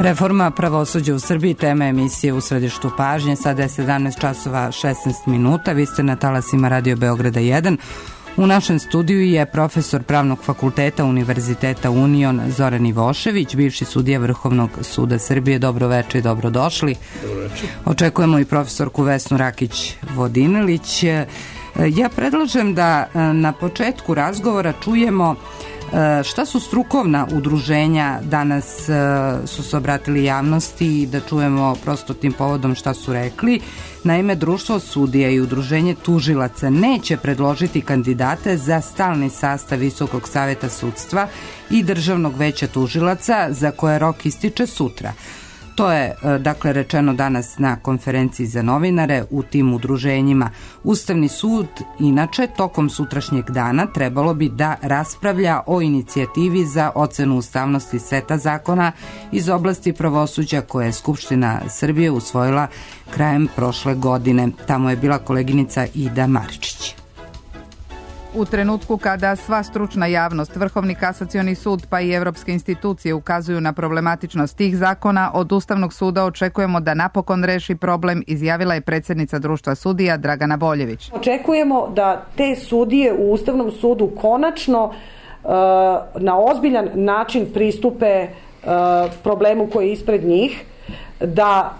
Reforma pravosuđa u Srbiji, tema emisije U središtu pažnje. Sada je 17 časova 16 minuta. Vi ste na talasima Radio Beograda 1. U našem studiju je profesor Pravnog fakulteta Univerziteta Union Zoran Ivošević, bivši sudija Vrhovnog suda Srbije. Dobro večer i dobrodošli. Dobro večer. Očekujemo i profesorku Vesnu Rakić-Vodinelić. Ja predlažem da na početku razgovora čujemo šta su strukovna udruženja danas su se obratili javnosti, da čujemo prosto tim povodom šta su rekli. Naime, Društvo sudija i Udruženje tužilaca neće predložiti kandidate za stalni sastav Visokog saveta sudstva i Državnog veća tužilaca, za koje rok ističe sutra. To je, dakle, rečeno danas na konferenciji za novinare u tim udruženjima. Ustavni sud, inače, tokom sutrašnjeg dana trebalo bi da raspravlja o inicijativi za ocenu ustavnosti seta zakona iz oblasti pravosuđa koje je Skupština Srbije usvojila krajem prošle godine. Tamo je bila koleginica Ida Maričić. U trenutku kada sva stručna javnost, Vrhovni kasacioni sud pa i evropske institucije ukazuju na problematičnost tih zakona, od Ustavnog suda očekujemo da napokon reši problem, izjavila je predsjednica Društva sudija Dragana Boljević. Očekujemo da te sudije u Ustavnom sudu konačno na ozbiljan način pristupe problemu koji je ispred njih, da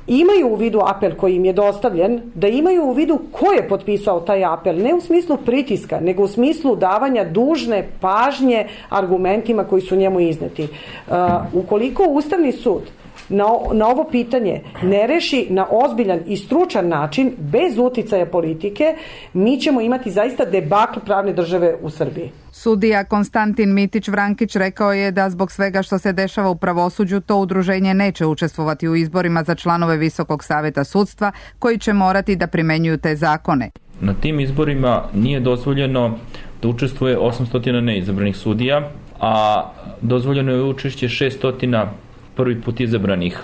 imaju u vidu apel koji im je dostavljen, da imaju u vidu ko je potpisao taj apel, ne u smislu pritiska, nego u smislu davanja dužne pažnje argumentima koji su njemu izneti. Ukoliko Ustavni sud na ovo pitanje ne reši na ozbiljan i stručan način, bez uticaja politike, mi ćemo imati zaista debakl pravne države u Srbiji. Sudija Konstantin Mitić-Vrankić rekao je da zbog svega što se dešava u pravosuđu, to udruženje neće učestvovati u izborima za članove Visokog saveta sudstva, koji će morati da primenjuju te zakone. Na tim izborima nije dozvoljeno da učestvuje 800 neizabranih sudija, a dozvoljeno je učešće 600 prvi put izabranih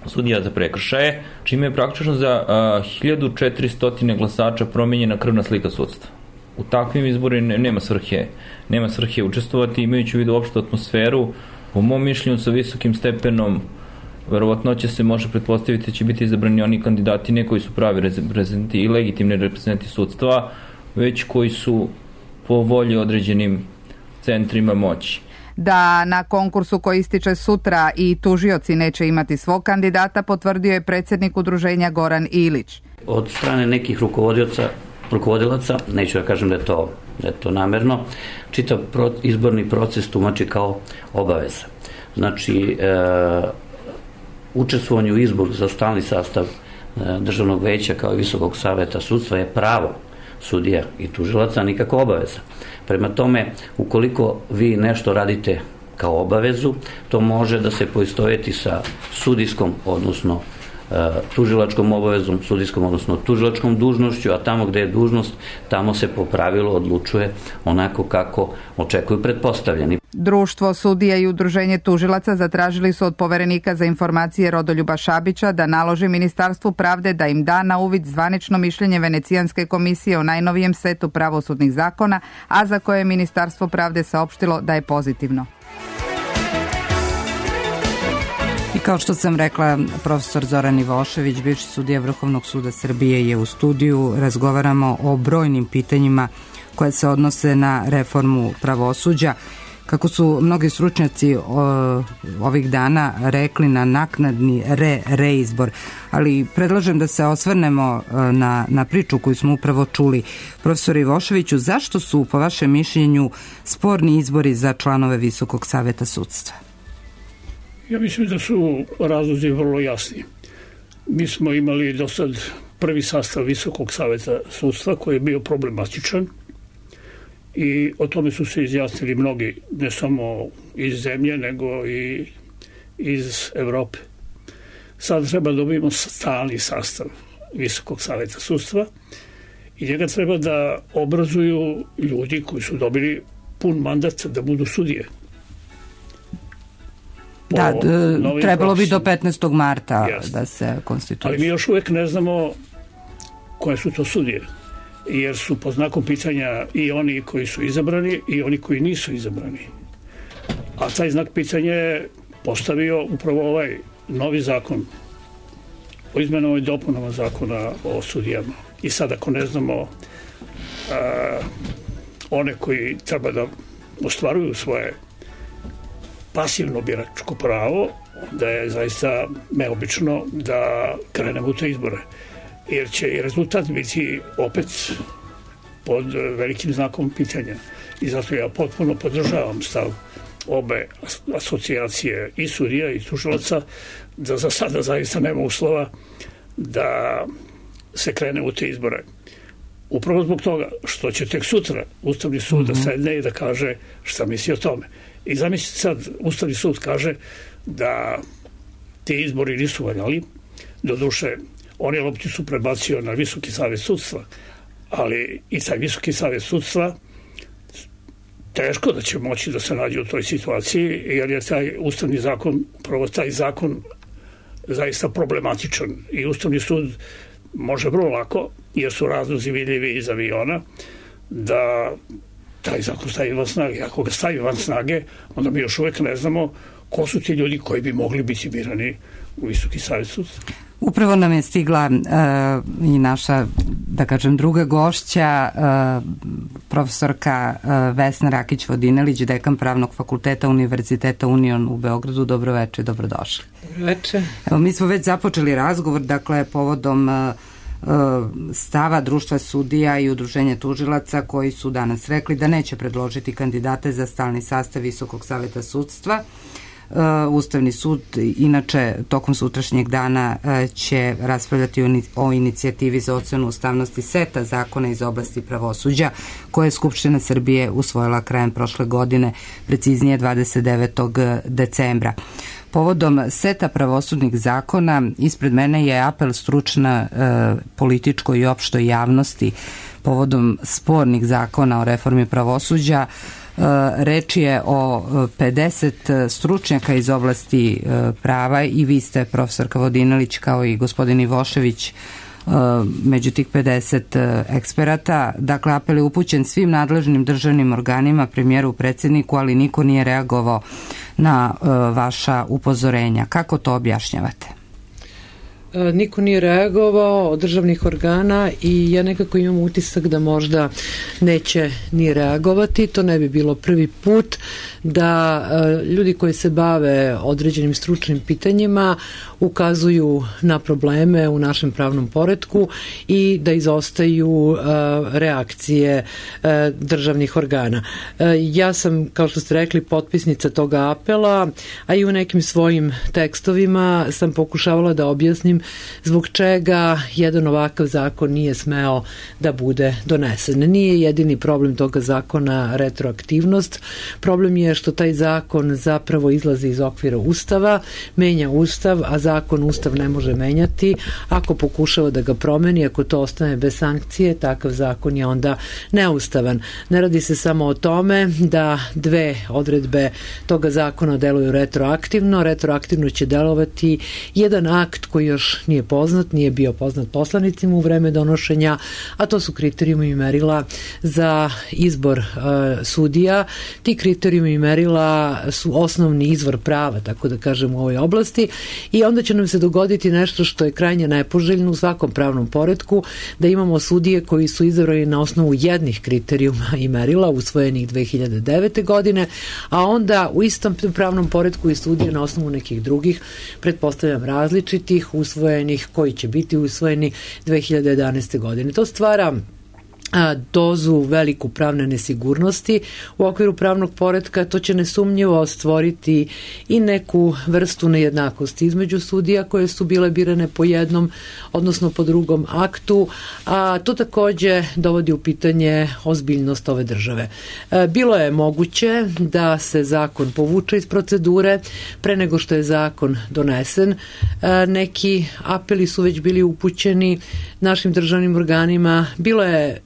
sudija za prekršaje, čime je praktično za 1400 glasača promenjena krvna slika sudstva. U takvim izborima nema svrhe učestvovati, imajući u vidu opštu atmosferu. Po mom mišljenju, sa visokim stepenom verovatnoće se može pretpostaviti da će biti izabrani oni kandidati, ne koji su pravi reprezentati i legitimni reprezentati sudstva, već koji su po volji određenim centrima moći. Da na konkursu koji ističe sutra i tužioci neće imati svog kandidata, potvrdio je predsjednik udruženja Goran Ilić. Od strane nekih rukovodilaca, neću da kažem da je to namerno, čitav izborni proces tumači kao obaveza. Znači, učestvovanje u izboru za stalni sastav Državnog veća kao i Visokog saveta sudstva je pravo sudija i tužilaca, nikako obaveza. Prema tome, ukoliko vi nešto radite kao obavezu, to može da se poistoveti sa sudijskom, odnosno tužilačkom obavezom, sudijskom, odnosno tužilačkom dužnošću, a tamo gde je dužnost, tamo se po pravilu odlučuje onako kako očekuju pretpostavljeni. Društvo sudija i Udruženje tužilaca zatražili su od poverenika za informacije Rodoljuba Šabića da naloži Ministarstvu pravde da im da na uvid zvanično mišljenje Venecijanske komisije o najnovijem setu pravosudnih zakona, a za koje je Ministarstvo pravde saopštilo da je pozitivno. I kao što sam rekla, profesor Zoran Ivošević, bivši sudija Vrhovnog suda Srbije, je u studiju. Razgovaramo o brojnim pitanjima koje se odnose na reformu pravosuđa. Kako su mnogi stručnjaci ovih dana rekli, na naknadni reizbor, ali predlažem da se osvrnemo na priču koju smo upravo čuli. Profesor Ivoševiću, zašto su, po vašem mišljenju, sporni izbori za članove Visokog saveta sudstva? Ja mislim da su razlozi vrlo jasni. Mi smo imali do sad prvi sastav Visokog saveta sudstva koji je bio problematičan i o tome su se izjasnili mnogi, ne samo iz zemlje, nego i iz Evrope. Sad treba da dobijemo stalni sastav Visokog saveta sudstva i njega treba da obrazuju ljudi koji su dobili pun mandat da budu sudije. Da, trebalo bi do 15. marta da se konstituiše. Ali mi još uvek ne znamo koje su to sudije, jer su pod znakom pitanja i oni koji su izabrani i oni koji nisu izabrani. A taj znak pitanja je postavio upravo ovaj novi zakon o izmenama i dopunama zakona o sudijama. I sad ako ne znamo one koji treba da ostvaruju svoje pasivno biračko pravo, da je zaista neobično da krenemo u te izbore. Jer će i rezultat biti opet pod velikim znakom pitanja. I zato ja potpuno podržavam stav obe asocijacije i sudija i tužilaca da za sada zaista nema uslova da se krene u te izbore. Upravo zbog toga što će tek sutra Ustavni sud da sedne i da kaže šta misli o tome. I zamislite sad, Ustavni sud kaže da ti izbori nisu valjali, doduše on je lopticu prebacio na Visoki savet sudstva, ali i taj Visoki savet sudstva teško da će moći da se nađe u toj situaciji, jer je taj ustavni zakon, upravo taj zakon zaista problematičan i Ustavni sud može vrlo lako, jer su razlozi vidljivi iz aviona, da taj zakon stavi van snage. Ako ga stavi van snage, onda mi još uvek ne znamo ko su ti ljudi koji bi mogli biti birani u Visoki savet sudstva. Upravo nam je stigla i naša, da kažem, druga gošća, profesorka Vesna Rakić-Vodinelić, dekan Pravnog fakulteta Univerziteta Union u Beogradu. Dobroveče, dobrodošli. Dobroveče. Evo, mi smo već započeli razgovor, dakle, povodom stava Društva sudija i Udruženja tužilaca koji su danas rekli da neće predložiti kandidate za stalni sastav Visokog saveta sudstva. Ustavni sud inače tokom sutrašnjeg dana će raspravljati o inicijativi za ocenu ustavnosti seta zakona iz oblasti pravosuđa koje je Skupština Srbije usvojila krajem prošle godine, preciznije 29. decembra. Povodom seta pravosudnih zakona ispred mene je apel stručna političkoj i opštoj javnosti povodom spornih zakona o reformi pravosuđa. Reč je o 50 stručnjaka iz oblasti prava i vi ste, profesorka Vodinelić, kao i gospodin Ivošević, među tih 50 eksperata. Dakle, apel je upućen svim nadležnim državnim organima, premijeru, predsjedniku, ali niko nije reagovao na vaša upozorenja. Kako to objašnjavate? Niko nije reagovao od državnih organa i ja nekako imam utisak da možda neće ni reagovati. To ne bi bilo prvi put da ljudi koji se bave određenim stručnim pitanjima ukazuju na probleme u našem pravnom poretku i da izostaju reakcije državnih organa. Ja sam, kao što ste rekli, potpisnica toga apela, a i u nekim svojim tekstovima sam pokušavala da objasnim zbog čega jedan ovakav zakon nije smeo da bude donesen. Nije jedini problem toga zakona retroaktivnost. Problem je što taj zakon zapravo izlazi iz okvira Ustava, menja Ustav, a Ustav ne može menjati. Ako pokušava da ga promeni, ako to ostane bez sankcije, takav zakon je onda neustavan. Ne radi se samo o tome da dve odredbe toga zakona deluju retroaktivno. Retroaktivno će delovati jedan akt koji još nije poznat, nije bio poznat poslanicima u vreme donošenja, a to su kriterijumi i merila za izbor sudija. Ti kriterijumi i merila su osnovni izvor prava, tako da kažem, u ovoj oblasti, i onda će nam se dogoditi nešto što je krajnje nepoželjno u svakom pravnom poretku, da imamo sudije koji su izabrani na osnovu jednih kriterijuma i merila usvojenih 2009. godine, a onda u istom pravnom poretku i sudije na osnovu nekih drugih, pretpostavljam različitih, usvojenih, koji će biti usvojeni 2011. godine. To stvara dozu veliku pravne nesigurnosti u okviru pravnog poretka. To će nesumnjivo stvoriti i neku vrstu nejednakosti između sudija koje su bile birane po jednom, odnosno po drugom aktu, a to takođe dovodi u pitanje ozbiljnost ove države. Bilo je moguće da se zakon povuče iz procedure pre nego što je zakon donesen. Neki apeli su već bili upućeni našim državnim organima. Bilo je,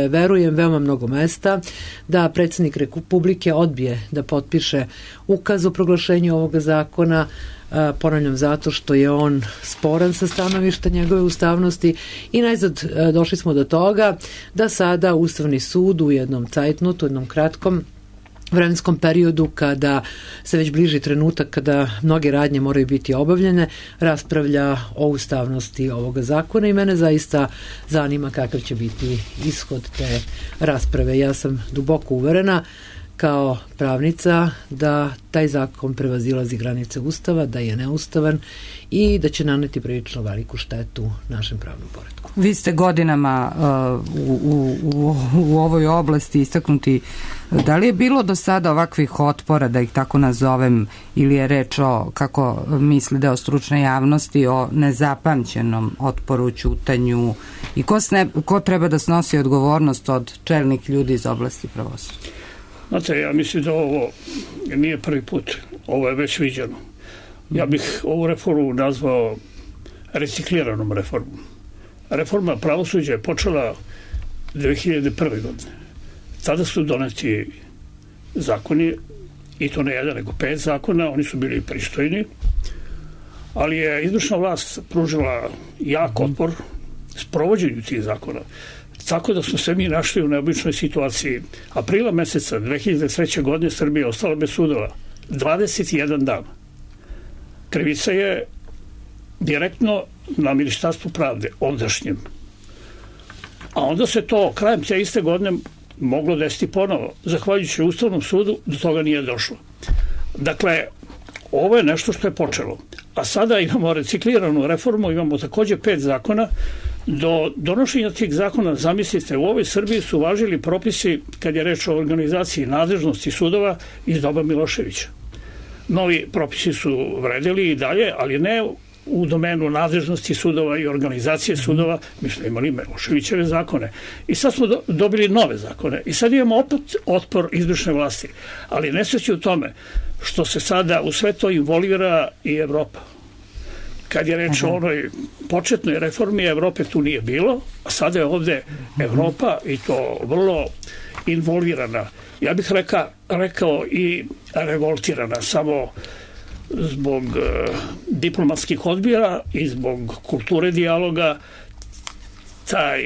verujem, veoma mnogo mesta da predsjednik Republike odbije da potpiše ukaz o proglašenju ovoga zakona, ponavljam, zato što je on sporan sa stanovišta njegove ustavnosti, i najzad došli smo do toga da sada Ustavni sud u jednom cajtnotu, jednom kratkom, vremenskom periodu kada se već bliži trenutak kada mnoge radnje moraju biti obavljene, raspravlja o ustavnosti ovoga zakona i mene zaista zanima kakav će biti ishod te rasprave. Ja sam duboko uverena kao pravnica da taj zakon prevazilazi granice Ustava, da je neustavan i da će naneti prilično veliku štetu našem pravnom poretku. Vi ste godinama u ovoj oblasti istaknuti. Da li je bilo do sada ovakvih otpora, da ih tako nazovem, ili je reč o, kako misli deo stručne javnosti, o nezapamćenom otporu, ćutanju i ko treba da snosi odgovornost od čelnih ljudi iz oblasti pravosuđa? Znate, ja mislim da ovo nije prvi put, ovo je već viđeno. Ja bih ovu reformu nazvao recikliranom reformom. Reforma pravosuđa je počela 2001. godine. Tada su doneti zakoni, i to ne jedan, nego 5 zakona, oni su bili pristojni, ali je izvršna vlast pružila jak otpor sprovođenju tih zakona. Tako da smo se mi našli u neobičnoj situaciji. Aprila meseca 2003. godine Srbija je ostala bez sudova. 21 dan. Krivica je direktno na Ministarstvu pravde, ondašnjem. A onda se to krajem te iste godine moglo desiti ponovo. Zahvaljujući Ustavnom sudu do toga nije došlo. Dakle, ovo je nešto što je počelo. A sada imamo recikliranu reformu, imamo takođe 5 zakona. Do donošenja tih zakona, zamislite, u ovoj Srbiji su važili propisi kad je reč o organizaciji nadležnosti sudova iz doba Miloševića. Novi propisi su vredeli i dalje, ali ne u domenu nadležnosti sudova i organizacije sudova. Mi smo imali Miloševićeve zakone. I sad smo dobili nove zakone. I sad imamo opet otpor izvršne vlasti. Ali nesreće u tome što se sada u sve to involvira i Evropa. Kad je reč o onoj početnoj reformi, Evrope tu nije bilo, a sada je ovde Evropa i to vrlo involvirana. Ja bih rekao i revoltirana, samo zbog diplomatskih odbira i zbog kulture dijaloga. Taj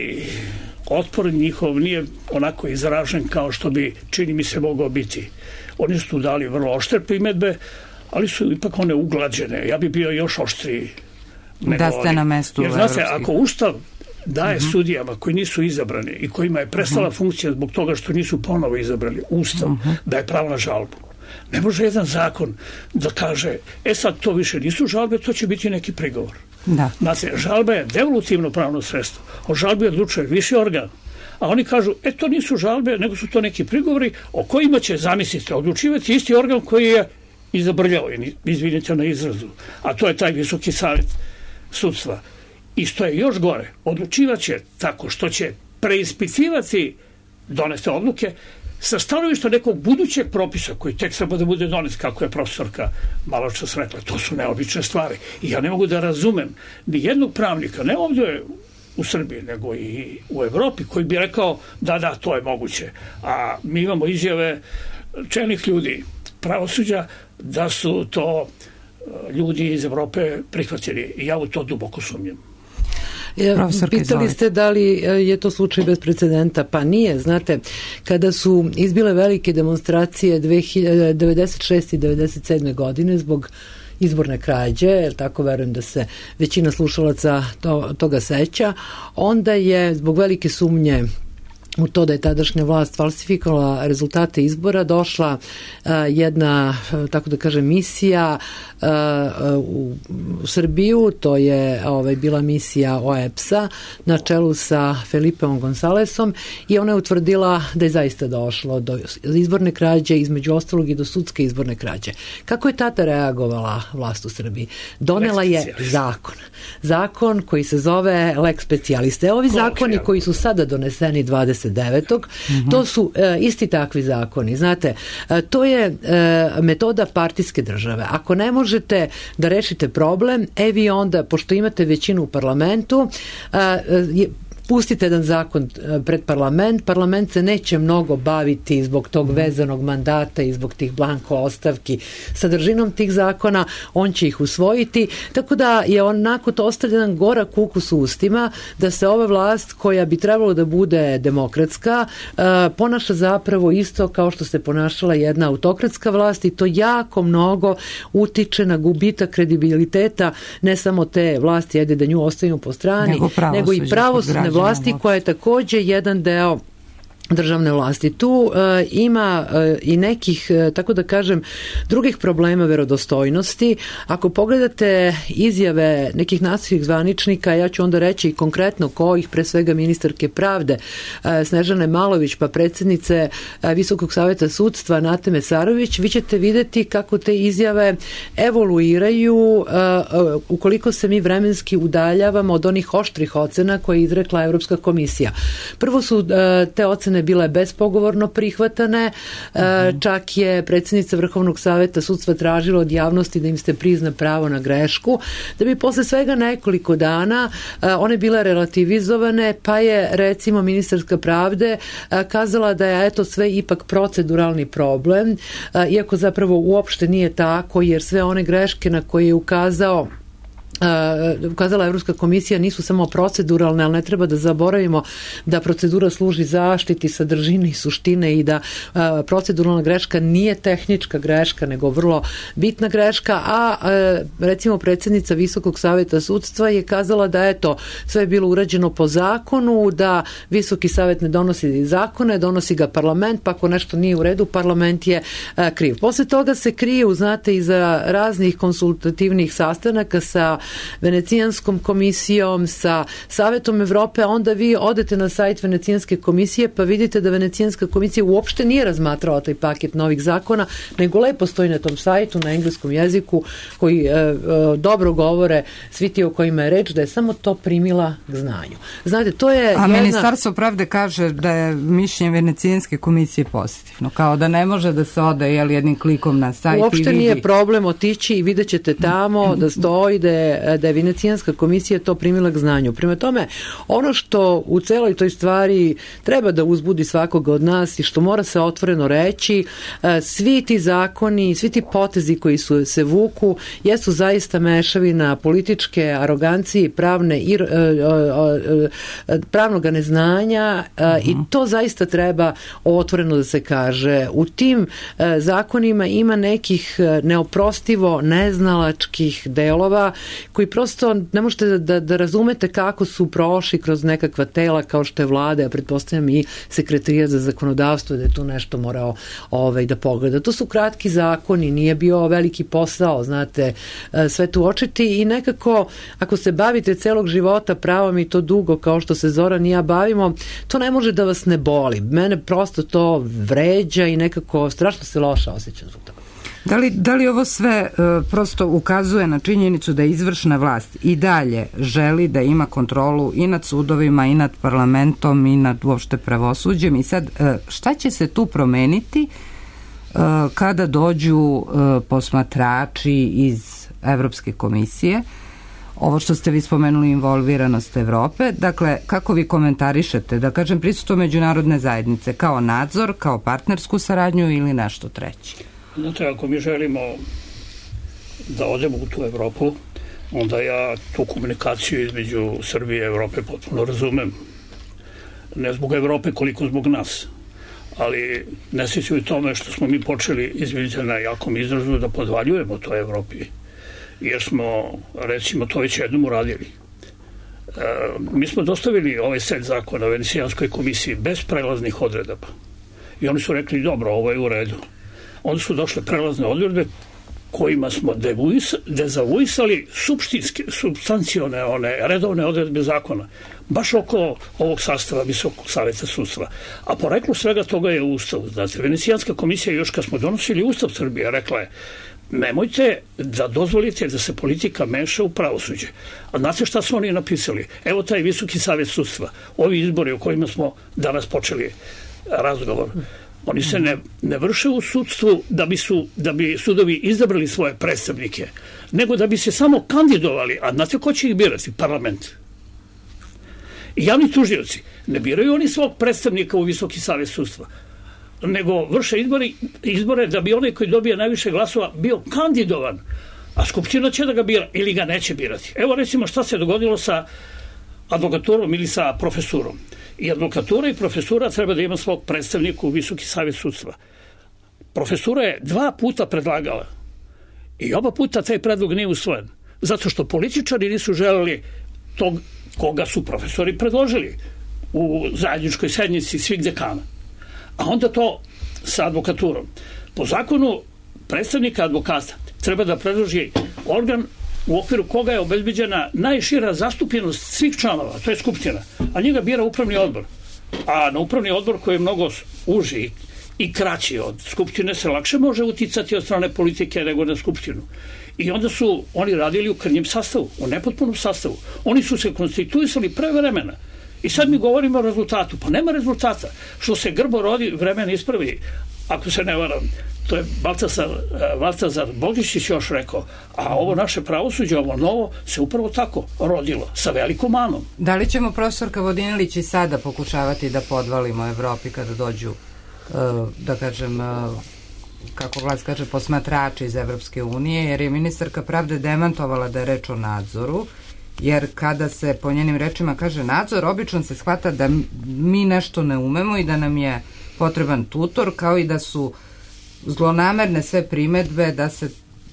otpor njihov nije onako izražen kao što bi, čini mi se, mogao biti. Oni su tu dali vrlo oštre primedbe, ali su ipak one uglađene. Ja bi bio još oštriji. Da ste na mestu. Jer znate, ako Ustav daje sudijama koji nisu izabrani i kojima je prestala funkcija zbog toga što nisu ponovo izabrali, Ustav daje pravo na žalbu. Ne može jedan zakon da kaže, sad to više nisu žalbe, to će biti neki prigovor. Da. Znate, žalba je devolutivno pravno sredstvo. O žalbi odlučuje viši organ. A oni kažu, to nisu žalbe, nego su to neki prigovori o kojima će, zamislite, odlučivati isti organ koji je izabrljao, izvinite na izrazu, a to je taj Visoki savet sudstva. I što je još gore, odlučivaće tako što će preispitivati donete odluke sa stanovišta nekog budućeg propisa koji tek treba da bude donet, kako je profesorka malo čas rekla. To su neobične stvari. I ja ne mogu da razumem ni jednog pravnika, ne ovdje u Srbiji, nego i u Evropi, koji bi rekao da, to je moguće. A mi imamo izjave čelnih ljudi pravosuđa da su to ljudi iz Evrope prihvatili. I ja u to duboko sumnjam. Pitali ste da li je to slučaj bez precedenta, pa nije. Znate, kada su izbile velike demonstracije 96. i 97. godine zbog izborne krađe, tako verujem da se većina slušalaca toga seća, onda je zbog velike sumnje u to da je tadašnja vlast falsifikovala rezultate izbora, došla jedna, tako da kažem, misija u Srbiju, to je bila misija OEPS-a na čelu sa Felipeom Gonzalesom i ona je utvrdila da je zaista došlo do izborne krađe, između ostalog i do sudske izborne krađe. Kako je tada reagovala vlast u Srbiji? Donela je zakon koji se zove Lex Specialiste. Ovi zakoni koji su sada doneseni 29. To su isti takvi zakoni. Znate, to je metoda partijske države. Ako ne možete da rešite problem, vi onda, pošto imate većinu u parlamentu, pustite jedan zakon pred parlament se neće mnogo baviti zbog tog vezanog mandata i zbog tih blanko ostavki sadržinom tih zakona, on će ih usvojiti, tako da je onako to ostavlja jedan gorak ukus u ustima, da se ova vlast koja bi trebalo da bude demokratska, ponaša zapravo isto kao što se ponašala jedna autokratska vlast i to jako mnogo utiče na gubitak kredibiliteta ne samo te vlasti, ajde da nju ostavimo po strani, nego i pravosudne vlasti koja je takođe jedan deo državne vlasti. Tu ima i nekih, tako da kažem, drugih problema verodostojnosti. Ako pogledate izjave nekih nacionalnih zvaničnika, ja ću onda reći i konkretno kojih, pre svega ministarke pravde Snežane Malović, pa predsjednice Visokog saveta sudstva Nate Mesarović, vi ćete vidjeti kako te izjave evoluiraju ukoliko se mi vremenski udaljavamo od onih oštrih ocena koje je izrekla Evropska komisija. Prvo su te ocene bile bespogovorno prihvatane, čak je predsjednica Vrhovnog saveta sudstva tražila od javnosti da im se prizna pravo na grešku, da bi posle svega nekoliko dana one bile relativizovane, pa je recimo ministarska pravde kazala da je eto sve ipak proceduralni problem, iako zapravo uopšte nije tako, jer sve one greške na koje je ukazala Evropska komisija nisu samo proceduralne, ali ne treba da zaboravimo da procedura služi zaštiti sadržine i suštine i da proceduralna greška nije tehnička greška, nego vrlo bitna greška, a recimo predsjednica Visokog saveta sudstva je kazala da eto, sve je bilo urađeno po zakonu, da Visoki savet ne donosi zakone, donosi ga parlament, pa ako nešto nije u redu, parlament je kriv. Posle toga se kriju, znate, iza raznih konsultativnih sastanaka sa Venecijanskom komisijom, sa Savetom Evrope, onda vi odete na sajt Venecijanske komisije pa vidite da Venecijanska komisija uopšte nije razmatrala taj paket novih zakona, nego lepo stoji na tom sajtu na engleskom jeziku koji dobro govore svi ti o kojima je reč, da je samo to primila k znanju. Znate, to je Ministarstvo pravde kaže da je mišljenje Venecijanske komisije pozitivno, kao da ne može da se ode jednim klikom na sajt uopšte i vidi. Nije problem otići i vidjet ćete tamo da stoji da je Venecijanska komisija to primila k znanju. Prema tome, ono što u celoj toj stvari treba da uzbudi svakoga od nas i što mora se otvoreno reći, svi ti zakoni, svi ti potezi koji se vuku, jesu zaista mešavina političke arogancije, pravnog neznanja i to zaista treba otvoreno da se kaže. U tim zakonima ima nekih neoprostivo neznalačkih delova koji prosto ne možete da razumete kako su prošli kroz nekakva tela kao što je vlada, ja pretpostavljam i sekretarijat za zakonodavstvo da je tu nešto morao da pogleda. To su kratki zakoni, nije bio veliki posao, znate, sve tu očiti i nekako ako se bavite celog života pravom i to dugo kao što se Zoran i ja bavimo, to ne može da vas ne boli. Mene prosto to vređa i nekako strašno se loše osjećam zbog toga. Da li ovo sve prosto ukazuje na činjenicu da izvršna vlast i dalje želi da ima kontrolu i nad sudovima i nad parlamentom i nad uopšte pravosuđem i sad šta će se tu promeniti kada dođu posmatrači iz Evropske komisije? Ovo što ste vi spomenuli, involviranost Evrope, dakle, kako vi komentarišete, da kažem, prisustvo međunarodne zajednice, kao nadzor, kao partnersku saradnju ili nešto treće? Znate, ako mi želimo da odemo u tu Evropu, onda ja tu komunikaciju između Srbije i Evrope potpuno razumem. Ne zbog Evrope koliko zbog nas. Ali ne sjeću i tome što smo mi počeli, izvinite na jakom izrazu, da podvaljujemo to Evropi. Jer smo, recimo, to već jednom uradili. Mi smo dostavili ovaj set zakona Venecijanskoj komisiji bez prelaznih odredaba. I oni su rekli, dobro, ovo je u redu. Onda su došle prelazne odredbe kojima smo dezavuisali substancione, one redovne odredbe zakona, baš oko ovog sastava Visokog saveta sudstva. A poreklo svega toga je Ustav. Znači, Venecijanska komisija, još kad smo donosili Ustav Srbije, rekla je, nemojte da dozvolite da se politika meša u pravosuđe. A znate šta su oni napisali? Evo taj Visoki savet sudstva, ovi izbori o kojima smo danas počeli razgovor, oni se ne vrše u sudstvu da bi sudovi izabrali svoje predstavnike, nego da bi se samo kandidovali. A znate ko će ih birati? Parlament. I javni tužioci ne biraju oni svog predstavnika u Visoki savet sudstva, nego vrše izbore da bi onaj koji dobije najviše glasova bio kandidovan, a Skupština će da ga bira ili ga neće birati. Evo recimo šta se dogodilo sa advokaturom ili sa profesurom. I advokatura i profesura treba da ima svog predstavnika u Visoki savet sudstva. Profesura je 2 puta predlagala i oba puta taj predlog nije usvojen, zato što političari nisu želeli tog koga su profesori predložili u zajedničkoj sednici svih dekana. A onda to sa advokaturom. Po zakonu predstavnika advokata treba da predloži organ u okviru koga je obezbeđena najšira zastupljenost svih članova, to je Skupština, a njega bira upravni odbor. A na upravni odbor koji je mnogo uži i kraći od Skupštine se lakše može uticati od strane politike nego na Skupštinu. I onda su oni radili u krnjem sastavu, u nepotpunom sastavu. Oni su se konstituisali pre vremena. I sad mi govorimo o rezultatu. Pa nema rezultata. Što se grbo rodi, vremena ispravi. Ako se ne varam, to je Baltazar Bogišić još rekao, a ovo naše pravosuđe, ovo novo, se upravo tako rodilo, sa velikom manom. Da li ćemo, profesorka Vodinelić, i sada pokušavati da podvalimo Evropi kada dođu, da kažem, kako vlast kaže, posmatrači iz Evropske unije, jer je ministarka pravde demantovala da je reč o nadzoru, jer kada se po njenim rečima kaže nadzor, obično se shvata da mi nešto ne umemo i da nam je potreban tutor, kao i da su zlonamerne sve primedbe da se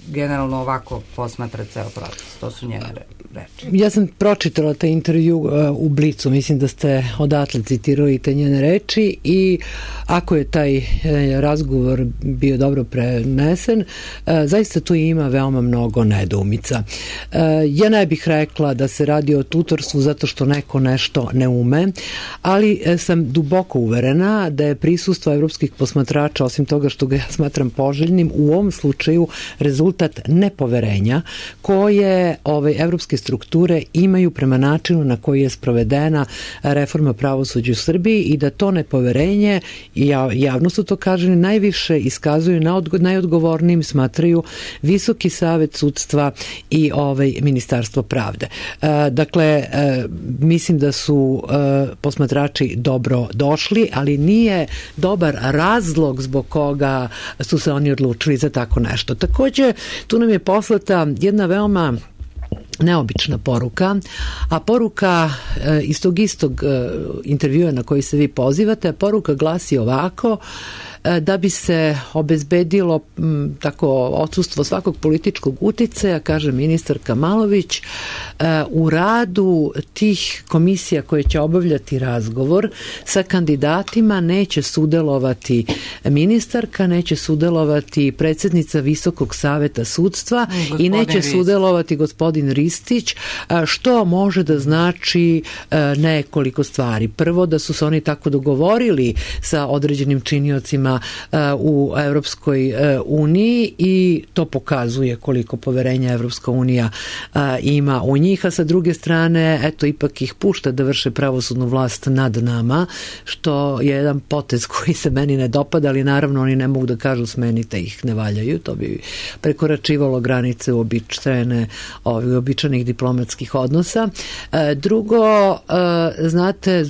generalno ovako posmatra ceo proces. To su njene reči. Ja sam pročitala taj intervju u Blicu, mislim da ste odatle citirali te njene reči i ako je taj razgovor bio dobro prenesen, zaista tu ima veoma mnogo nedoumica. Ja ne bih rekla da se radi o tutorstvu zato što neko nešto ne ume, ali sam duboko uverena da je prisustvo evropskih posmatrača, osim toga što ga ja smatram poželjnim, u ovom slučaju rezultat nepoverenja koje evropske strukture imaju prema načinu na koji je sprovedena reforma pravosuđa u Srbiji i da to nepoverenje, i javno su to kaženi, najviše iskazuju, najodgovornijim smatraju Visoki savet sudstva i Ministarstvo pravde. Dakle, mislim da su posmatrači dobro došli, ali nije dobar razlog zbog koga su se oni odlučili za tako nešto. Takođe, tu nam je poslata jedna veoma neobična poruka, a poruka iz tog istog intervjua na koji se vi pozivate, poruka glasi ovako: da bi se obezbedilo tako odsustvo svakog političkog uticaja, kaže ministarka Malović, u radu tih komisija koje će obavljati razgovor sa kandidatima neće sudelovati ministarka, neće sudelovati predsednica Visokog saveta sudstva i neće sudelovati gospodin Ristić, što može da znači nekoliko stvari. Prvo, da su se oni tako dogovorili sa određenim činiocima u Evropskoj uniji i to pokazuje koliko poverenja Evropska unija ima u njih, a sa druge strane, eto, ipak ih pušta da vrše pravosudnu vlast nad nama, što je jedan potez koji se meni ne dopada, ali naravno oni ne mogu da kažu smenite ih, ne valjaju, to bi prekoračivalo granice uobičajenih diplomatskih odnosa. Drugo, znate,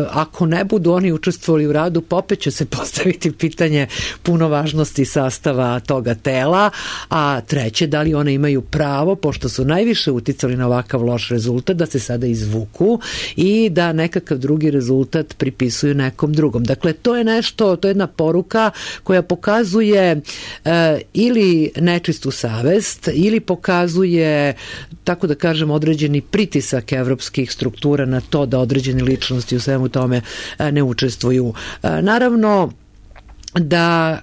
ako ne budu oni učestvovali u radu, opet će se postaviti pitanje punovažnosti sastava toga tela, a treće, da li one imaju pravo, pošto su najviše uticali na ovakav loš rezultat, da se sada izvuku i da nekakav drugi rezultat pripisuju nekom drugom. Dakle, to je nešto, to je jedna poruka koja pokazuje ili nečistu savest, ili pokazuje, tako da kažem, određeni pritisak evropskih struktura na to da određene ličnosti u svemu tome ne učestvuju. Naravno, da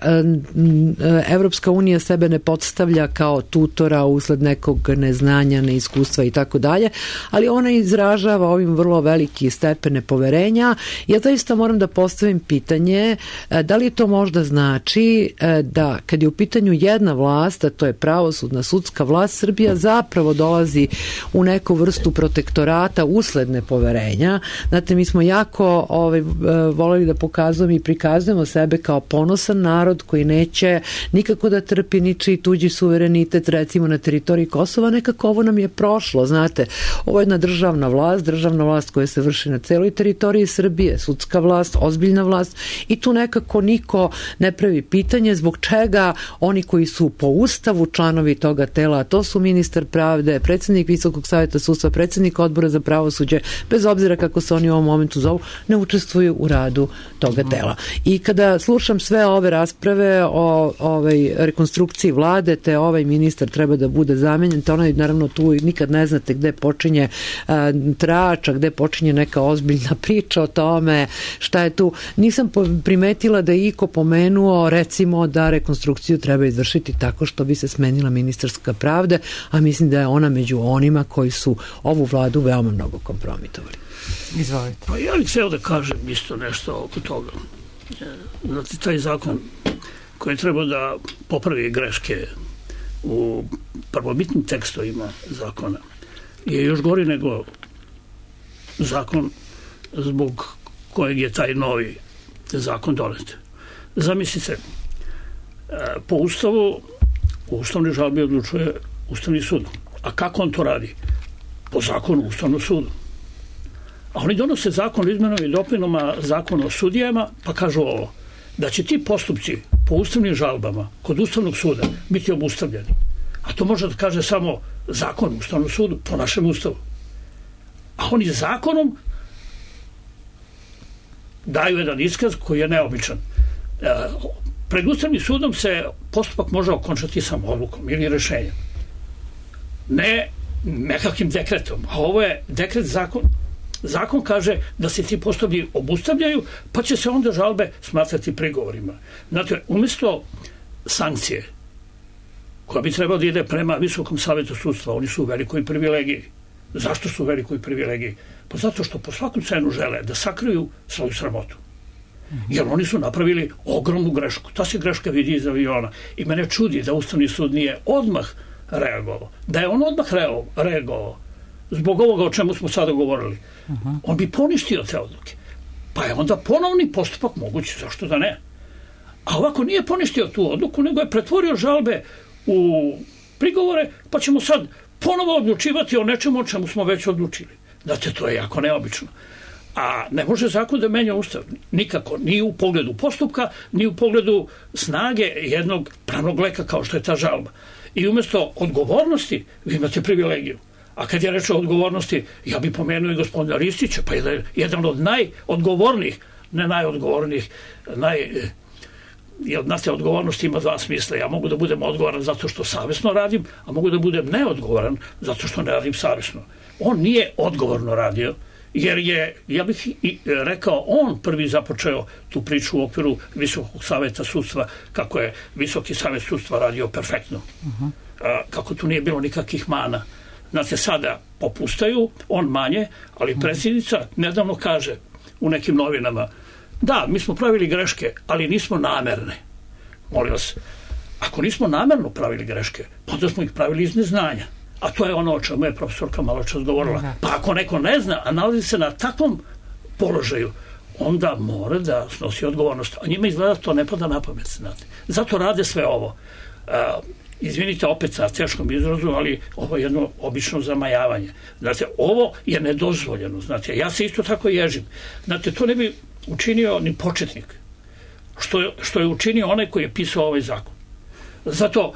Evropska unija sebe ne podstavlja kao tutora usled nekog neznanja, neiskustva i tako dalje, ali ona izražava ovim vrlo veliki stepen nepoverenja. Ja zaista moram da postavim pitanje da li to možda znači da kad je u pitanju jedna vlast, a to je pravosudna sudska vlast, Srbija zapravo dolazi u neku vrstu protektorata usled nepoverenja. Znate, mi smo jako voleli da pokazujemo i prikazujemo sebe kao ponosni ponosan narod koji neće nikako da trpi ničiji tuđi suverenitet, recimo na teritoriji Kosova. Nekako ovo nam je prošlo, znate. Ovo je jedna državna vlast koja se vrši na celoj teritoriji Srbije, sudska vlast, ozbiljna vlast, i tu nekako niko ne pravi pitanje zbog čega oni koji su po Ustavu članovi toga tela, a to su ministar pravde, predsjednik Visokog saveta sudstva, predsjednik odbora za pravosuđe, bez obzira kako se oni u ovom momentu zovu, ne učestvuju u radu toga tela. I kada slušam sve ove rasprave o rekonstrukciji vlade, te ovaj ministar treba da bude zamenjen, te onaj, naravno, tu nikad ne znate gde počinje trača, gde počinje neka ozbiljna priča o tome šta je tu. Nisam primetila da je iko pomenuo, recimo, da rekonstrukciju treba izvršiti tako što bi se smenila ministarska pravde, a mislim da je ona među onima koji su ovu vladu veoma mnogo kompromitovali. Izvolite. Pa ja bih hteo da kažem isto nešto oko toga. Znate, taj zakon koji treba da popravi greške u prvobitnim tekstovima zakona je još gori nego zakon zbog kojeg je taj novi zakon donet. Zamislite, po Ustavu u ustavnoj žalbi odlučuje Ustavni sud. A kako on to radi? Po zakonu Ustavnog suda. A oni donose zakon o izmenama i dopunama zakona o sudijama, pa kažu ovo, da će ti postupci po ustavnim žalbama kod Ustavnog suda biti obustavljeni. A to može da kaže samo zakon o Ustavnom sudu po našem Ustavu. A oni zakonom daju jedan iskaz koji je neobičan. Pred Ustavnim sudom se postupak može okončati samo odlukom ili rešenjem. Ne nekakvim dekretom. A ovo je dekret zakon. Zakon kaže da se ti postupci obustavljaju, pa će se onda žalbe smatrati prigovorima. Znate, umjesto sankcije koja bi trebala da ide prema Visokom savetu sudstva, oni su u velikoj privilegiji. Zašto su u velikoj privilegiji? Pa zato što po svaku cenu žele da sakriju svoju sramotu. Jer oni su napravili ogromnu grešku. Ta se greška vidi iz aviona. I mene čudi da Ustavni sud nije odmah reagovao. Da je on odmah reagovao zbog ovoga o čemu smo sada govorili, on bi poništio te odluke. Pa je onda ponovni postupak moguć, zašto da ne? A ovako nije poništio tu odluku, nego je pretvorio žalbe u prigovore, pa ćemo sad ponovo odlučivati o nečemu o čemu smo već odlučili. Znate, to je jako neobično. A ne može zakon da menja Ustav. Nikako. Ni u pogledu postupka, ni u pogledu snage jednog pravnog leka kao što je ta žalba. I umjesto odgovornosti vi imate privilegiju. A kad je reč o odgovornosti, ja bih pomenuo i gospodina Ristića, pa je jedan od najodgovornijih, ne najodgovornijih, jer znate, odgovornost ima dva smisla. Ja mogu da budem odgovoran zato što savjesno radim, a mogu da budem neodgovoran zato što ne radim savjesno. On nije odgovorno radio, jer je, ja bih rekao, on prvi započeo tu priču u okviru Visokog saveta sudstva, kako je Visoki savet sudstva radio perfektno. Kako tu nije bilo nikakvih mana. Znate, sada popustaju, on manje, ali predsjednica nedavno kaže u nekim novinama, da, mi smo pravili greške, ali nismo namerne. Molim vas, ako nismo namerno pravili greške, onda smo ih pravili iz neznanja. A to je ono o čemu je profesorka malo čas govorila. Pa ako neko ne zna, a nalazi se na takvom položaju, onda mora da snosi odgovornost. A njima izgleda to ne pada na pamet, znate. Zato rade sve ovo. Izvinite opet sa teškom izrazu, ali ovo je jedno obično zamajavanje. Znate, ovo je nedozvoljeno. Znate, ja se isto tako ježim. Znate, to ne bi učinio ni početnik. Što je učinio onaj koji je pisao ovaj zakon. Zato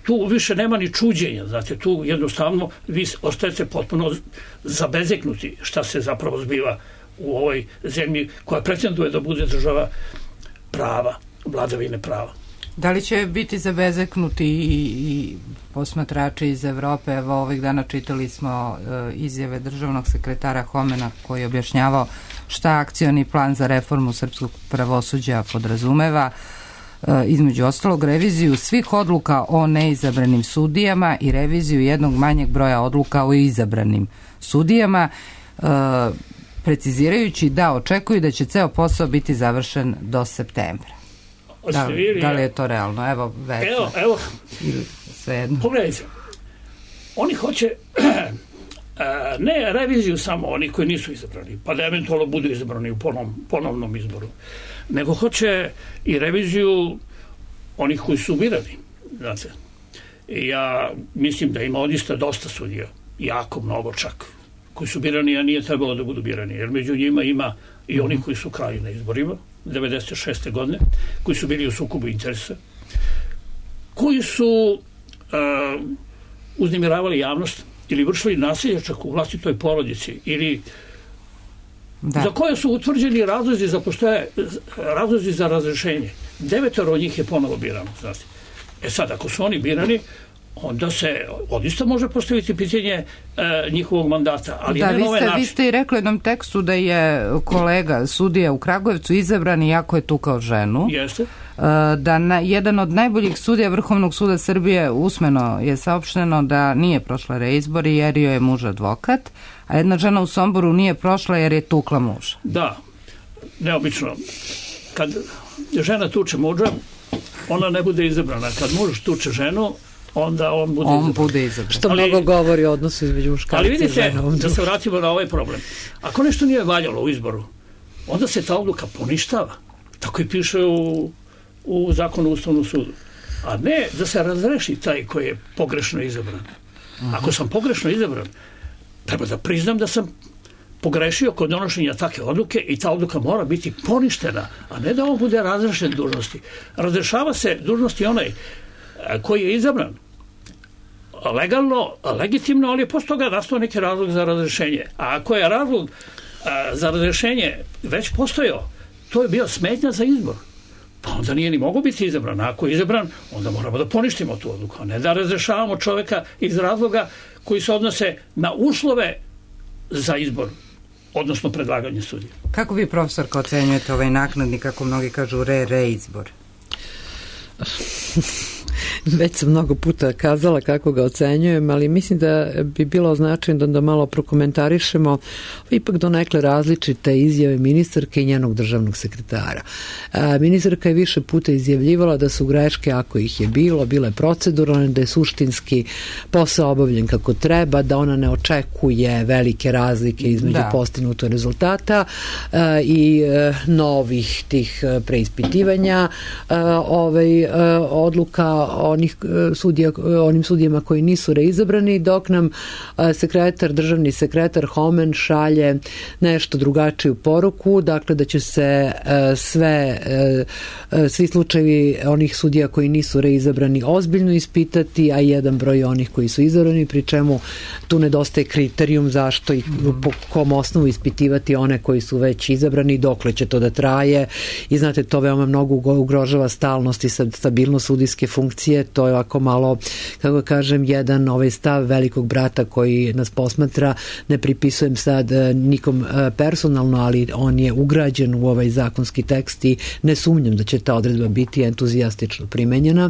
tu više nema ni čuđenja. Znate, tu jednostavno vi ostajete potpuno zabezeknuti šta se zapravo zbiva u ovoj zemlji koja pretenduje da bude država prava, vladavine prava. Da li će biti zabezeknuti i posmatrači iz Evrope? Evo, ovih dana čitali smo izjave državnog sekretara Homena koji je objašnjavao šta akcioni plan za reformu srpskog pravosuđa podrazumeva, između ostalog reviziju svih odluka o neizabranim sudijama i reviziju jednog manjeg broja odluka o izabranim sudijama, precizirajući da očekuju da će ceo posao biti završen do septembra. Da li je to realno? Evo, evo, pogledajte, oni hoće ne reviziju samo onih koji nisu izabrani, pa da eventualno budu izabrani u ponovnom izboru, nego hoće i reviziju onih koji su birani. Znate, ja mislim da ima odista dosta sudija, jako mnogo čak, koji su birani, a nije trebalo da budu birani, jer među njima ima i oni koji su krali na izborima 96. godine, koji su bili u sukobu interesa, koji su uznemiravali javnost ili vršili nasilje čak u vlastitoj porodici, ili za koje su utvrđeni razlozi za razrešenje. 9 od njih je ponovo birano. Znate. Sad, ako su oni birani, onda se odista može postaviti pitanje njihovog mandata, ali ne na ovaj način. Vi ste i rekli u jednom tekstu da je kolega sudija u Kragujevcu izabran iako je tukao ženu. Jeste. Da jedan od najboljih sudija Vrhovnog suda Srbije usmeno je saopšteno da nije prošla reizbor jer joj je muž advokat, a jedna žena u Somboru nije prošla jer je tukla muža. Da, neobično. Kad žena tuče muža, ona ne bude izabrana. Kad muž tuče ženu, onda on bude izabran. Što mnogo govori o odnosu između muškarca i žena. Ali vidite, da se vratimo na ovaj problem. Ako nešto nije valjalo u izboru, onda se ta odluka poništava. Tako i piše u zakonu o Ustavnom sudu. A ne da se razreši taj koji je pogrešno izabran. Ako sam pogrešno izabran, treba da priznam da sam pogrešio kod donošenja takve odluke i ta odluka mora biti poništena, a ne da on bude razrešen dužnosti. Razrešava se dužnosti onaj koji je izabran legalno, legitimno, ali je posle toga nastao neki razlog za razrešenje. A ako je razlog za razrešenje već postojao, to je bio smetnja za izbor. Pa onda nije ni mogao biti izabran. A ako je izabran, onda moramo da poništimo tu odluku, a ne da razrešavamo čoveka iz razloga koji se odnose na uslove za izbor, odnosno predlaganje sudija. Kako vi, profesorka, ocenjujete ovaj naknadni, kako mnogi kažu, reizbor? Već sam mnogo puta kazala kako ga ocenjujem, ali mislim da bi bilo značajno da malo prokomentarišemo ipak donekle različite izjave ministarke i njenog državnog sekretara. Ministarka je više puta izjavljivala da su greške, ako ih je bilo, bile proceduralne, da je suštinski posao obavljen kako treba, da ona ne očekuje velike razlike između postignutog rezultata i novih tih preispitivanja odluka onim sudijama koji nisu reizabrani, dok nam državni sekretar Homen šalje nešto drugačiju poruku, dakle da će se svi slučajevi onih sudija koji nisu reizabrani ozbiljno ispitati, a jedan broj onih koji su izabrani, pri čemu tu nedostaje kriterijum zašto i po kom osnovu ispitivati one koji su već izabrani, dokle će to da traje, i znate, to veoma mnogo ugrožava stalnost i stabilnost sudijske funkcije. To je ovako malo, kako kažem, jedan stav velikog brata koji nas posmatra. Ne pripisujem sad nikom personalno, ali on je ugrađen u ovaj zakonski tekst i ne sumnjam da će ta odredba biti entuzijastično primenjena.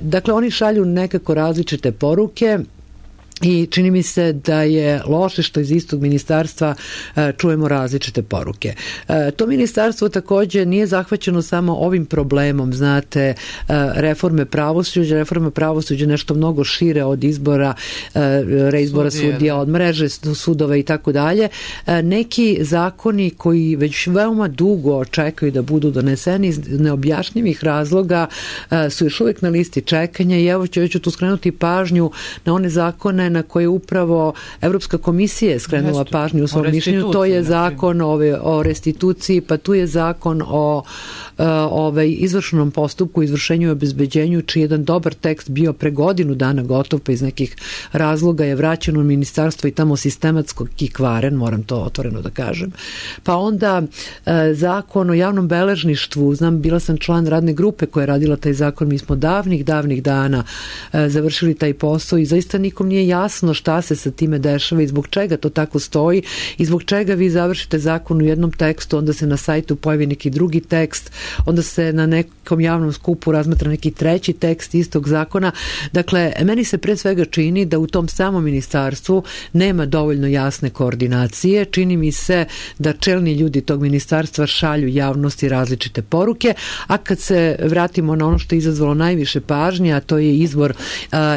Dakle, oni šalju nekako različite poruke i čini mi se da je loše što iz istog ministarstva čujemo različite poruke. To ministarstvo takođe nije zahvaćeno samo ovim problemom, znate, reforma pravosuđa nešto mnogo šire od izbora, reizbora sudija, od mreže sudova i tako dalje. Neki zakoni koji već veoma dugo čekaju da budu doneseni iz neobjašnjivih razloga su još uvijek na listi čekanja, i evo ću tu skrenuti pažnju na one zakone na koje upravo Evropska komisija je skrenula pažnju u svom mišljenju. To je zakon o restituciji, pa tu je zakon o izvršnom postupku, izvršenju i obezbeđenju, čiji jedan dobar tekst bio pre godinu dana gotov, pa iz nekih razloga je vraćen u ministarstvo i tamo sistematsko kvaren, moram to otvoreno da kažem. Pa onda zakon o javnom beležništvu, bila sam član radne grupe koja je radila taj zakon, mi smo davnih dana završili taj posao i zaista nikom nije jasno šta se sa time dešava i zbog čega to tako stoji i zbog čega vi završite zakon u jednom tekstu, onda se na sajtu pojavi neki drugi tekst, onda se na nekom javnom skupu razmatra neki treći tekst istog zakona. Dakle, meni se pre svega čini da u tom samom ministarstvu nema dovoljno jasne koordinacije. Čini mi se da čelni ljudi tog ministarstva šalju javnosti različite poruke, a kad se vratimo na ono što je izazvalo najviše pažnje, a to je izbor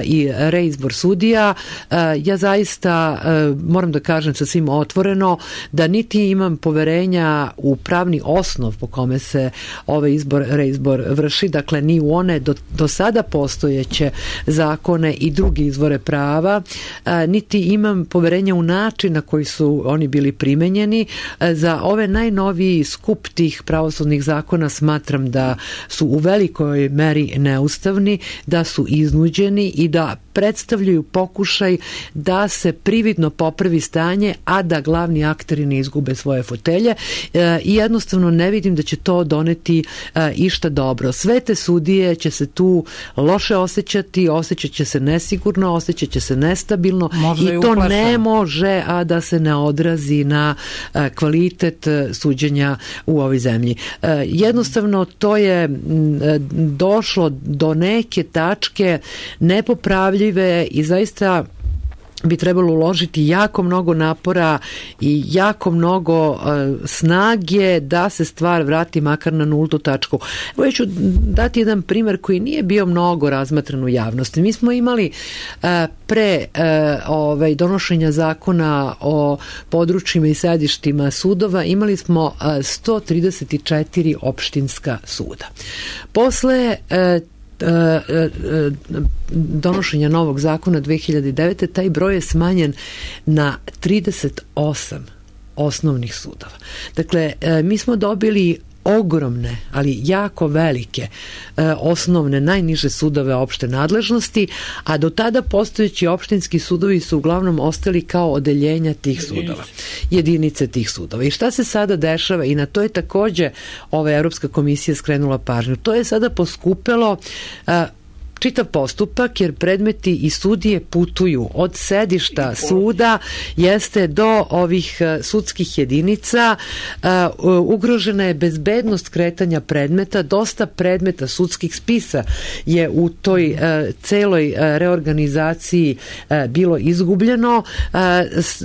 i reizbor sudija, ja zaista moram da kažem sasvim otvoreno da niti imam poverenja u pravni osnov po kome se ovaj reizbor vrši, dakle ni u one do sada postojeće zakone i drugi izvore prava, niti imam poverenja u način na koji su oni bili primenjeni. Za ove najnoviji skup tih pravosudnih zakona smatram da su u velikoj meri neustavni, da su iznuđeni i da predstavljaju pokušaj da se prividno popravi stanje, a da glavni akteri ne izgube svoje fotelje i jednostavno ne vidim da će to doneti išta dobro. Sve te sudije će se tu loše osjećati, osjećat će se nesigurno, osjećat će se nestabilno i to ne može a da se ne odrazi na kvalitet suđenja u ovoj zemlji. Jednostavno to je došlo do neke tačke nepopravljive i zaista bi trebalo uložiti jako mnogo napora i jako mnogo snage da se stvar vrati makar na nultu tačku. Evo ja ću dati jedan primer koji nije bio mnogo razmatran u javnosti. Mi smo imali pre donošenja zakona o područjima i sedištima sudova, imali smo 134 opštinska suda. Posle donošenja novog zakona 2009. taj broj je smanjen na 38 osnovnih sudova. Dakle, mi smo dobili ogromne, ali jako velike osnovne, najniže sudove opšte nadležnosti, a do tada postojeći opštinski sudovi su uglavnom ostali kao odeljenja tih sudova. Jedinice tih sudova. I šta se sada dešava? I na to je takođe Evropska komisija skrenula pažnju. To je sada poskupelo čitav postupak jer predmeti i sudije putuju od sedišta suda jeste do ovih sudskih jedinica, ugrožena je bezbednost kretanja predmeta, dosta predmeta sudskih spisa je u toj celoj reorganizaciji bilo izgubljeno,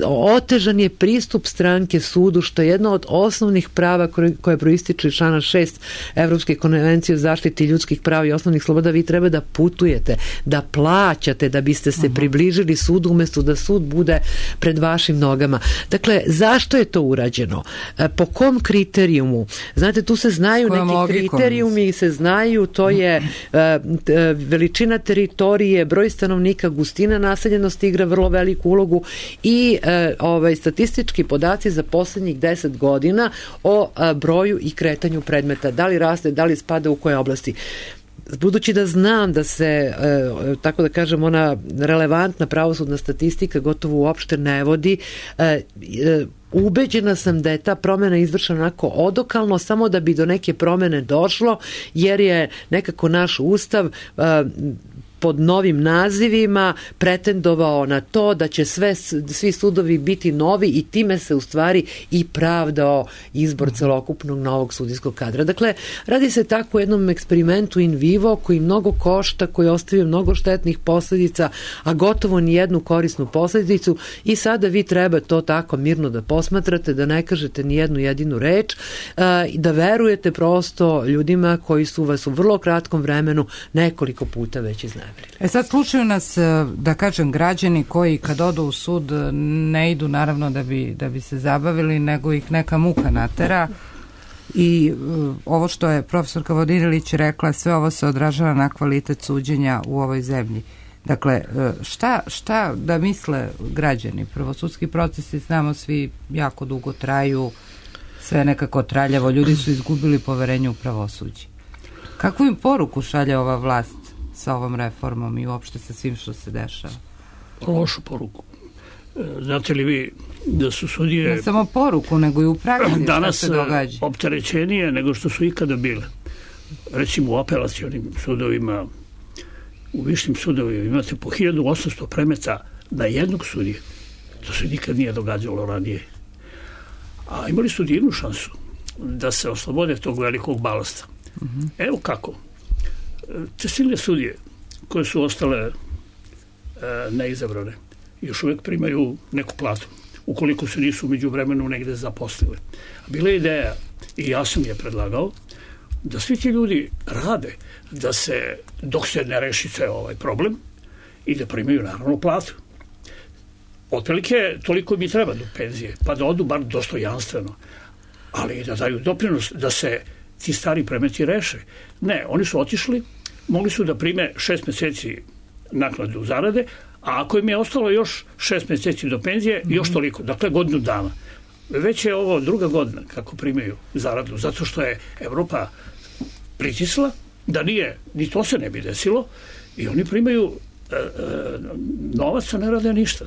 otežan je pristup stranke sudu što je jedno od osnovnih prava koje proističe iz člana 6 Evropske konvencije o zaštiti ljudskih prava i osnovnih sloboda. Vi treba da putujete, da plaćate da biste se približili sudu umesto da sud bude pred vašim nogama. Dakle, zašto je to urađeno? Po kom kriterijumu? Znate, tu se znaju neki kriterijumi, se znaju, to je veličina teritorije, broj stanovnika, gustina naseljenosti igra vrlo veliku ulogu i statistički podaci za poslednjih 10 godina o broju i kretanju predmeta. Da li raste, da li spada u koje oblasti? Budući da znam da se, tako da kažem, ona relevantna pravosudna statistika gotovo uopšte ne vodi, ubeđena sam da je ta promjena izvršena onako odokalno, samo da bi do neke promjene došlo, jer je nekako naš ustav pod novim nazivima pretendovao na to da će svi sudovi biti novi i time se u stvari i pravdao izbor celokupnog novog sudijskog kadra. Dakle, radi se tako o jednom eksperimentu in vivo koji mnogo košta, koji ostavio mnogo štetnih posljedica, a gotovo ni jednu korisnu posljedicu i sada vi treba to tako mirno da posmatrate, da ne kažete ni jednu jedinu reč i da verujete prosto ljudima koji su vas u vrlo kratkom vremenu nekoliko puta već iznajmili. Sad slušaju nas, da kažem, građani koji kad odu u sud ne idu naravno da bi se zabavili, nego ih neka muka natera i ovo što je profesorka Vodinelić rekla, sve ovo se odražava na kvalitet suđenja u ovoj zemlji. Dakle, šta da misle građani? Prvo, sudski procesi, znamo svi, jako dugo traju, sve nekako traljavo, ljudi su izgubili poverenje u pravosuđe. Kakvu im poruku šalje ova vlast sa ovom reformom i uopšte sa svim što se dešava? Lošu poruku. Znate li vi da su sudije... Ne samo poruku, nego i u praksi šta se događa. Danas opterećenije nego što su ikada bile. Recimo u apelacionim sudovima, u višim sudovima imate po 1800 predmeta na jednog sudije. To se nikad nije događalo ranije. A imali su divnu šansu da se oslobode tog velikog balasta. Evo kako. Te silne sudije koje su ostale neizabrane još uvijek primaju neku platu ukoliko se nisu umeđu vremenu negde zaposlili. Bila je ideja i ja sam je predlagao da svi ti ljudi rade da se, dok se ne reši ovaj problem i da primaju naravno platu. otprilike toliko mi treba do penzije, pa da odu bar dostojanstveno, ali da daju doprinos da se ti stari predmeti reše. Ne, oni su otišli, mogli su da prime 6 meseci naknadu zarade, a ako im je ostalo još 6 meseci do penzije, još toliko, dakle godinu dana. Već je ovo druga godina kako primaju zaradu, zato što je Evropa pritisla, da nije, ni to se ne bi desilo, i oni primaju novac, a ne rade ništa.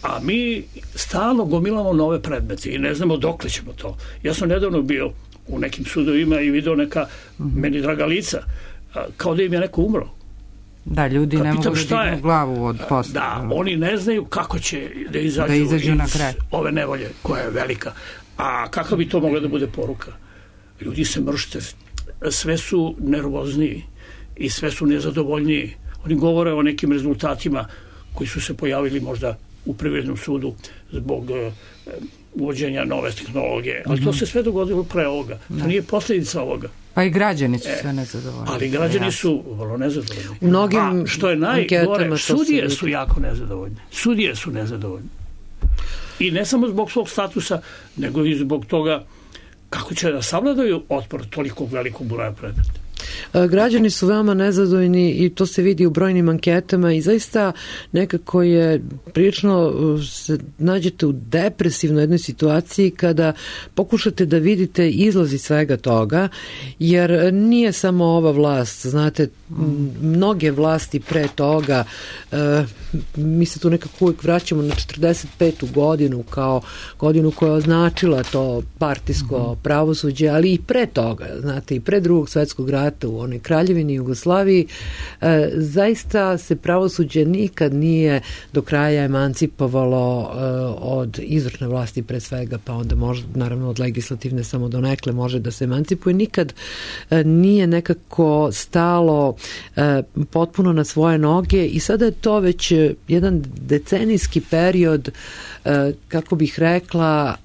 A mi stalno gomilamo nove predmete i ne znamo dokle ćemo to. Ja sam nedavno bio u nekim sudovima i video neka meni draga lica, kao da im je neko umro. Da, ljudi ne mogu da dignu glavu od posla. Da, oni ne znaju kako će da izađu iz ove nevolje koja je velika. A kakva bi to mogla da bude poruka? Ljudi se mršte, sve su nervozniji i sve su nezadovoljniji. Oni govore o nekim rezultatima koji su se pojavili možda u Privrednom sudu zbog uvođenja nove tehnologije. Ali to se sve dogodilo pre ovoga. To nije posljedica ovoga. Pa i građani su sve nezadovoljni. Ali građani su vrlo nezadovoljni. U mnogim što je najgore, sudije su jako nezadovoljne. Sudije su nezadovoljne. I ne samo zbog svog statusa, nego i zbog toga kako će da savladaju otpor tolikog velikog broja predmeta. Građani su veoma nezadovoljni i to se vidi u brojnim anketama i zaista nekako je prilično se nađete u depresivnoj jednoj situaciji kada pokušate da vidite izlazi svega toga, jer nije samo ova vlast, znate, mnoge vlasti pre toga, mi se tu nekako uvijek vraćamo na 45. godinu kao godinu koja je označila to partijsko pravosuđe, ali i pre toga, znate, i pre Drugog svetskog rata u onoj Kraljevini Jugoslaviji, zaista se pravosuđe nikad nije do kraja emancipovalo od izvršne vlasti pre svega, pa onda može, naravno od legislativne samo do nekle može da se emancipuje. Nikad nije nekako stalo potpuno na svoje noge i sada je to već jedan decenijski period, kako bih rekla,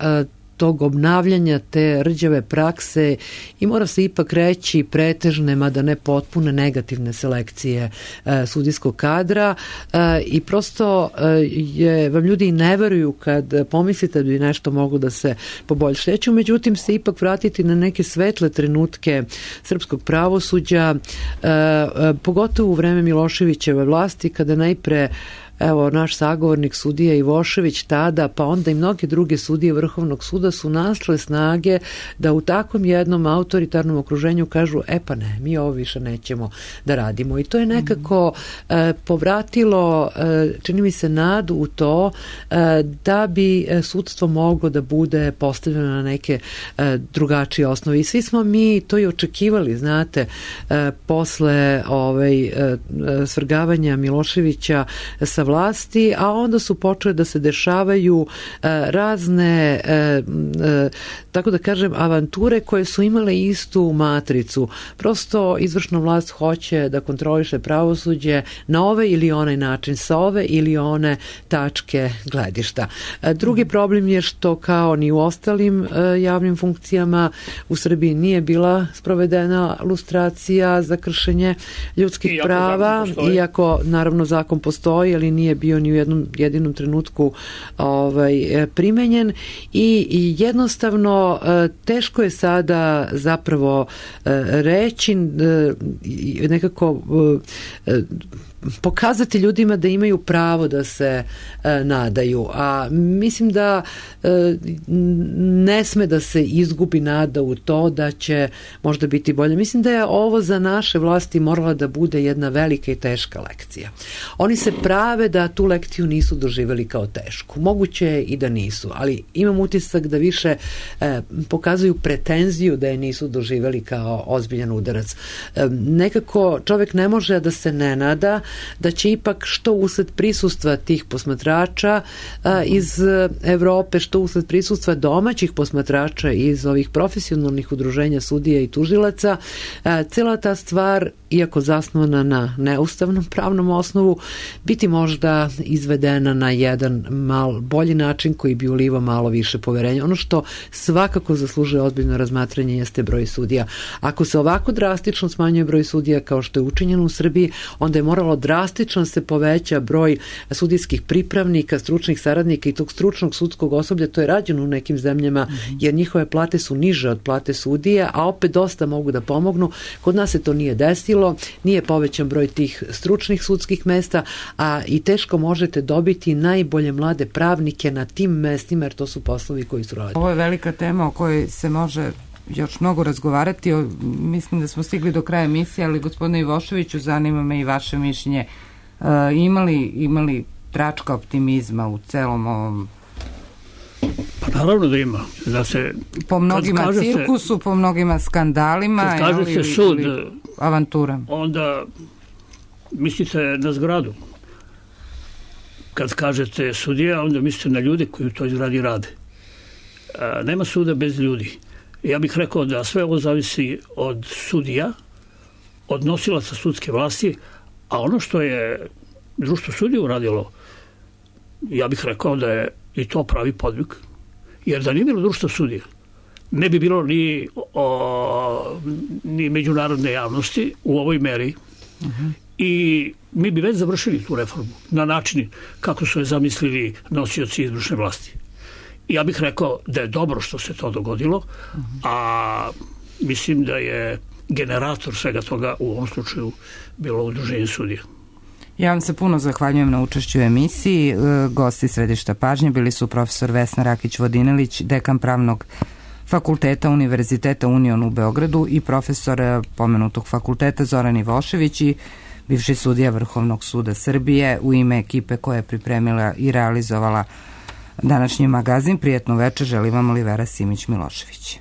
tog obnavljanja te rđave prakse i mora se ipak reći pretežne, mada ne potpune, negativne selekcije sudijskog kadra i prosto vam ljudi ne veruju kad pomislite da bi nešto moglo da se poboljša. Ja ću međutim se ipak vratiti na neke svetle trenutke srpskog pravosuđa, pogotovo u vreme Miloševićeve vlasti, kada najpre naš sagovornik sudija Ivošević tada, pa onda i mnoge druge sudije Vrhovnog suda su našle snage da u takvom jednom autoritarnom okruženju kažu, pa ne, mi ovo više nećemo da radimo. I to je nekako povratilo, čini mi se, nadu u to da bi sudstvo moglo da bude postavljeno na neke drugačije osnovi. I svi smo mi to i očekivali, znate, posle svrgavanja Miloševića sa vlasti, a onda su počele da se dešavaju razne, tako da kažem, avanture koje su imale istu matricu. Prosto izvršna vlast hoće da kontroliše pravosuđe na ovaj ili onaj način, sa ove ili one tačke gledišta. Drugi problem je što kao ni u ostalim javnim funkcijama u Srbiji nije bila sprovedena lustracija za kršenje ljudskih prava, iako naravno zakon postoji, ali nije bio ni u jednom jedinom trenutku primenjen i jednostavno teško je sada zapravo reći nekako pokazati ljudima da imaju pravo da se nadaju, a mislim da ne sme da se izgubi nada u to da će možda biti bolje. Mislim da je ovo za naše vlasti morala da bude jedna velika i teška lekcija. Oni se prave da tu lekciju nisu doživjeli kao tešku. Moguće je i da nisu, ali imam utisak da više pokazuju pretenziju da je nisu doživjeli kao ozbiljan udarac. Nekako čovjek ne može da se ne nada da će ipak što usled prisustva tih posmatrača iz Evrope, što usled prisustva domaćih posmatrača iz ovih profesionalnih udruženja sudija i tužilaca, cela ta stvar, iako zasnovana na neustavnom pravnom osnovu, biti možda izvedena na jedan malo bolji način koji bi ulivao malo više poverenja. Ono što svakako zaslužuje ozbiljno razmatranje jeste broj sudija. Ako se ovako drastično smanjuje broj sudija kao što je učinjeno u Srbiji, onda je moralo drastično se poveća broj sudijskih pripravnika, stručnih saradnika i tog stručnog sudskog osoblja. To je rađeno u nekim zemljama, jer njihove plate su niže od plate sudija, a opet dosta mogu da pomognu. Kod nas se to nije desilo, nije povećan broj tih stručnih sudskih mesta, a i teško možete dobiti najbolje mlade pravnike na tim mestima, jer to su poslovi koji su rađeni. Ovo je velika tema o kojoj se može još mnogo razgovarati. Mislim da smo stigli do kraja emisije, ali gospodine Ivoševiću, zanima me i vaše mišljenje. Imali tračka optimizma u celom ovom? Pa naravno da ima. Da se, po mnogima cirkusu, po mnogima skandalima, kad kaže se sud, ili avantura. Onda mislite na zgradu. Kad kažete sudija, onda mislite na ljude koji u toj zgradi rade. Nema suda bez ljudi. Ja bih rekao da sve ovo zavisi od sudija, od nosilaca sudske vlasti, a ono što je društvo sudija uradilo, ja bih rekao da je i to pravi podvig. Jer da nije bilo društvo sudija, ne bi bilo ni međunarodne javnosti u ovoj meri. I mi bi već završili tu reformu na način kako su je zamislili nosioci izvršne vlasti. Ja bih rekao da je dobro što se to dogodilo, a mislim da je generator svega toga u ovom slučaju bilo udruženje sudija. Ja vam se puno zahvaljujem na učešću u emisiji. Gosti središta pažnje bili su profesor Vesna Rakić-Vodinelić, dekan Pravnog fakulteta Univerziteta Union u Beogradu i profesor pomenutog fakulteta Zoran Ivošević i bivši sudija Vrhovnog suda Srbije. U ime ekipe koja je pripremila i realizovala današnji magazin, prijatno večer želi vam Olivera Simić-Milošević.